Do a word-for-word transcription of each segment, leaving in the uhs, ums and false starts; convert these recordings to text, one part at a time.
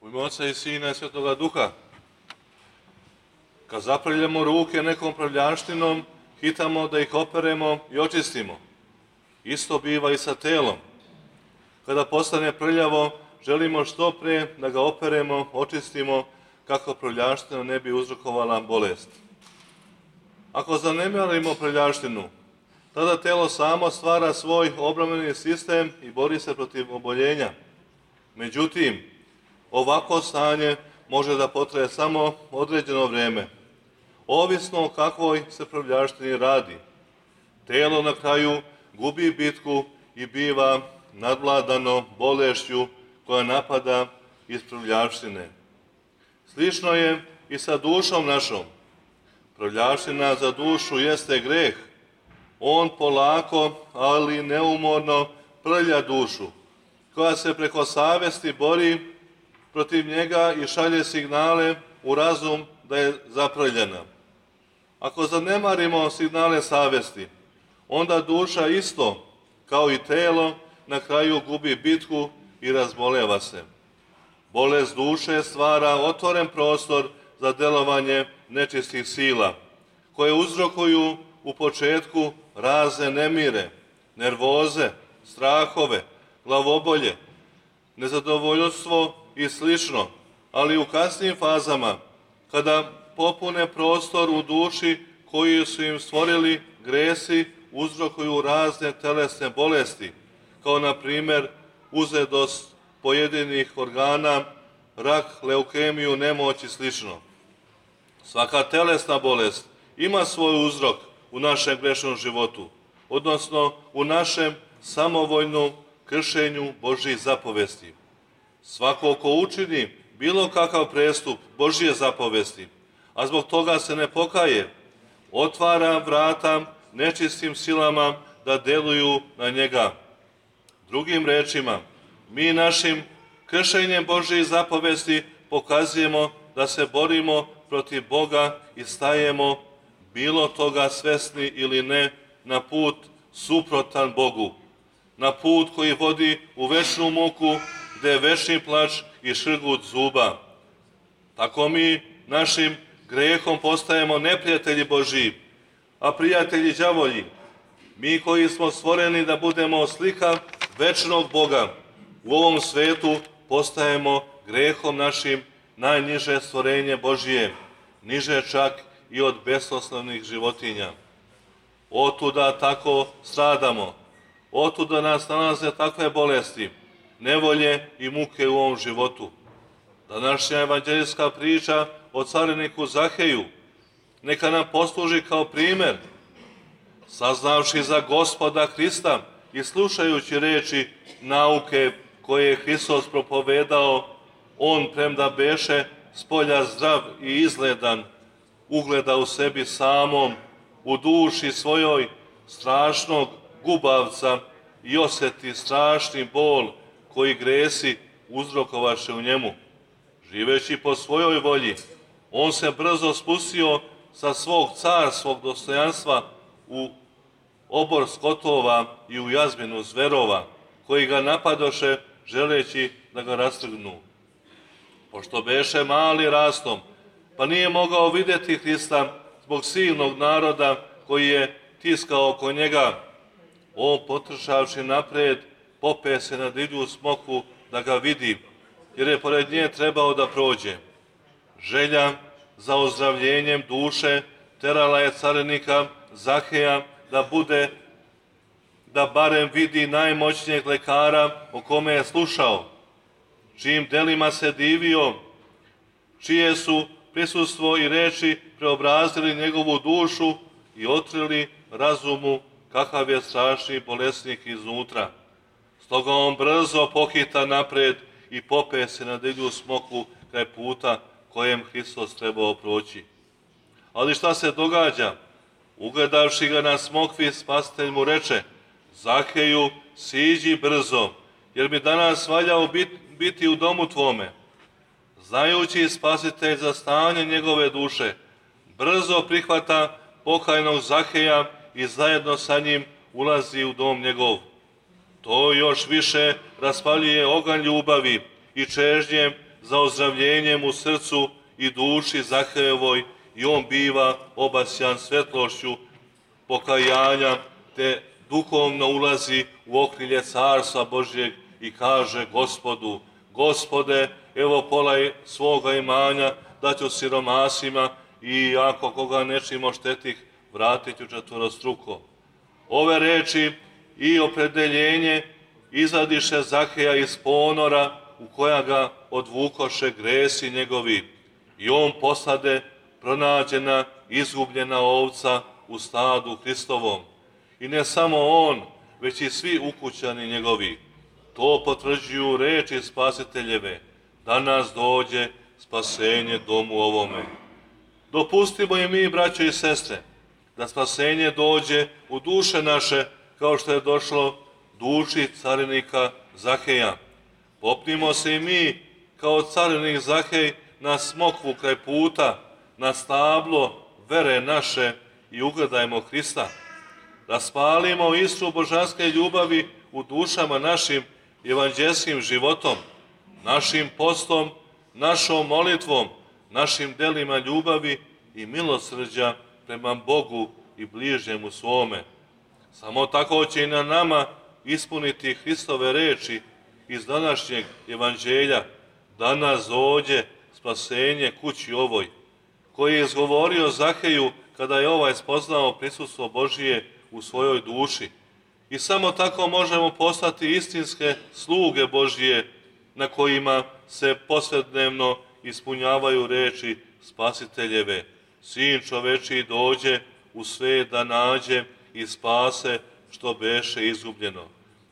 U ime Oca i Sina i Svetoga Duha. Kad zaprljamo ruke nekom prljaštinom, hitamo da ih operemo i očistimo. Isto biva i sa telom. Kada postane prljavo, želimo što pre da ga operemo, očistimo, kako prljaština ne bi uzrokovala bolest. Ako zanemarimo prljaštinu, tada telo samo stvara svoj obrambeni sistem i bori se protiv oboljenja. Međutim, ovako stanje može da potraje samo određeno vreme, ovisno o kakvoj se prljaštini radi. Telo na kraju gubi bitku i biva nadvladano bolešću koja napada iz prljaštine. Slično je i sa dušom našom. Prljaština za dušu jeste greh. On polako, ali neumorno prlja dušu, koja se preko savesti bori protiv njega i šalje signale u razum da je zaprljena. Ako zanemarimo signale savesti, onda duša isto, kao i telo, na kraju gubi bitku i razboleva se. Bolest duše stvara otvoren prostor za delovanje nečistih sila, koje uzrokuju u početku razne nemire, nervoze, strahove, glavobolje, nezadovoljstvo i slično, ali u kasnijim fazama, kada popune prostor u duši koji su im stvorili gresi, uzrokuju razne telesne bolesti, kao na primjer uzedost pojedinih organa, rak, leukemiju, nemoć i slično. Svaka telesna bolest ima svoj uzrok u našem grešnom životu, odnosno u našem samovoljnom kršenju Božjih zapovesti. Svako ko učini bilo kakav prestup Božje zapovesti, a zbog toga se ne pokaje, otvara vrata nečistim silama da deluju na njega. Drugim rečima, mi našim kršenjem Božjih zapovesti pokazujemo da se borimo protiv Boga i stajemo, bilo toga svesni ili ne, na put suprotan Bogu, na put koji vodi u večnu muku, gde je večni plač i šrgut zuba. Tako mi našim grehom postajemo neprijatelji Božji, a prijatelji đavolji. Mi koji smo stvoreni da budemo slika večnog Boga, u ovom svetu postajemo grehom našim najniže stvorenje Božije, niže čak i od besoslovnih životinja. Otuda tako stradamo, otuda nas nalaze takve bolesti, nevolje i muke u ovom životu. Današnja evanđeljska priča o cariniku Zaheju neka nam posluži kao primer. Saznavši za Gospoda Hrista i slušajući reči nauke koje je Hristos propovedao, on, premda beše spolja zdrav i izgledan, ugleda u sebi samom, u duši svojoj strašnog gubavca i osjeti strašni bol koji gresi uzrokovaše u njemu. Živeći po svojoj volji, on se brzo spustio sa svog carskog dostojanstva u obor skotova i u jazminu zverova, koji ga napadoše želeći da ga rastrgnu. Pošto beše mali rastom, pa nije mogao vidjeti Hrista zbog silnog naroda koji je tiskao oko njega, on, potrčavši napred, pope se na divlju smokvu da ga vidi, jer je pored nje trebao da prođe. Želja za ozdravljenjem duše terala je carinika Zaheja da bude, da barem vidi najmoćnijeg lekara o kome je slušao, čijim delima se divio, čije su prisustvo i reči preobrazili njegovu dušu i otkrili razumu kakav je strašni bolesnik iznutra. Stoga on brzo pohita napred i pope se na divlju smokvu kraj puta kojem Hristos trebao proći. Ali šta se događa? Ugledavši ga na smokvi, spasitelj mu reče: Zaheju, siđi brzo, jer bi danas valjao biti u domu tvome. Znajući spasitelj za stanje njegove duše, brzo prihvata pokajnog Zaheja i zajedno sa njim ulazi u dom njegov. To još više raspaljuje oganj ljubavi i čežnje za ozdravljenjem u srcu i duši Zahejevoj i on biva obasjan svetlošću pokajanja, te duhovno ulazi u okrilje Carstva Božjeg i kaže Gospodu: Gospode, evo pola svoga imanja daću siromasima i ako koga nečim oštetih, vratit ću četvorostruko. Ove reči i opredeljenje izvadiše Zaheja iz ponora u koja ga odvukoše gresi njegovi i on posade pronađena, izgubljena ovca u stadu Hristovom. I ne samo on, već i svi ukućani njegovi. To potvrđuju reči Spasiteljeve. Danas dođe spasenje domu ovome. Dopustimo i mi, braćo i sestre, da spasenje dođe u duše naše, kao što je došlo duši carinika Zaheja. Popnimo se i mi, kao carinik Zahej, na smokvu kraj puta, na stablo vere naše i ugledajmo Hrista. Raspalimo iskru božanske ljubavi u dušama našim evanđelskim životom, našim postom, našom molitvom, našim delima ljubavi i milosrđa prema Bogu i bližnjemu svome. Samo tako će i na nama ispuniti Hristove reči iz današnjeg evanđelja: danas dođe spasenje kući ovoj, koji je izgovorio Zaheju kada je ovaj spoznao prisustvo Božije u svojoj duši. I samo tako možemo postati istinske sluge Božije, na kojima se posvednevno ispunjavaju reči Spasiteljeve: Sin čovečiji dođe u svet da nađe i spase što beše izgubljeno.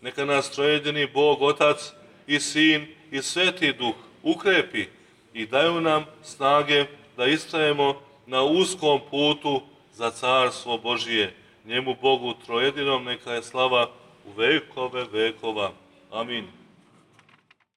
Neka nas trojedini Bog, Otac i Sin i Sveti Duh ukrepi i daju nam snage da istrajemo na uskom putu za carstvo Božije. Njemu Bogu trojedinom neka je slava u vekove vekova. Amin.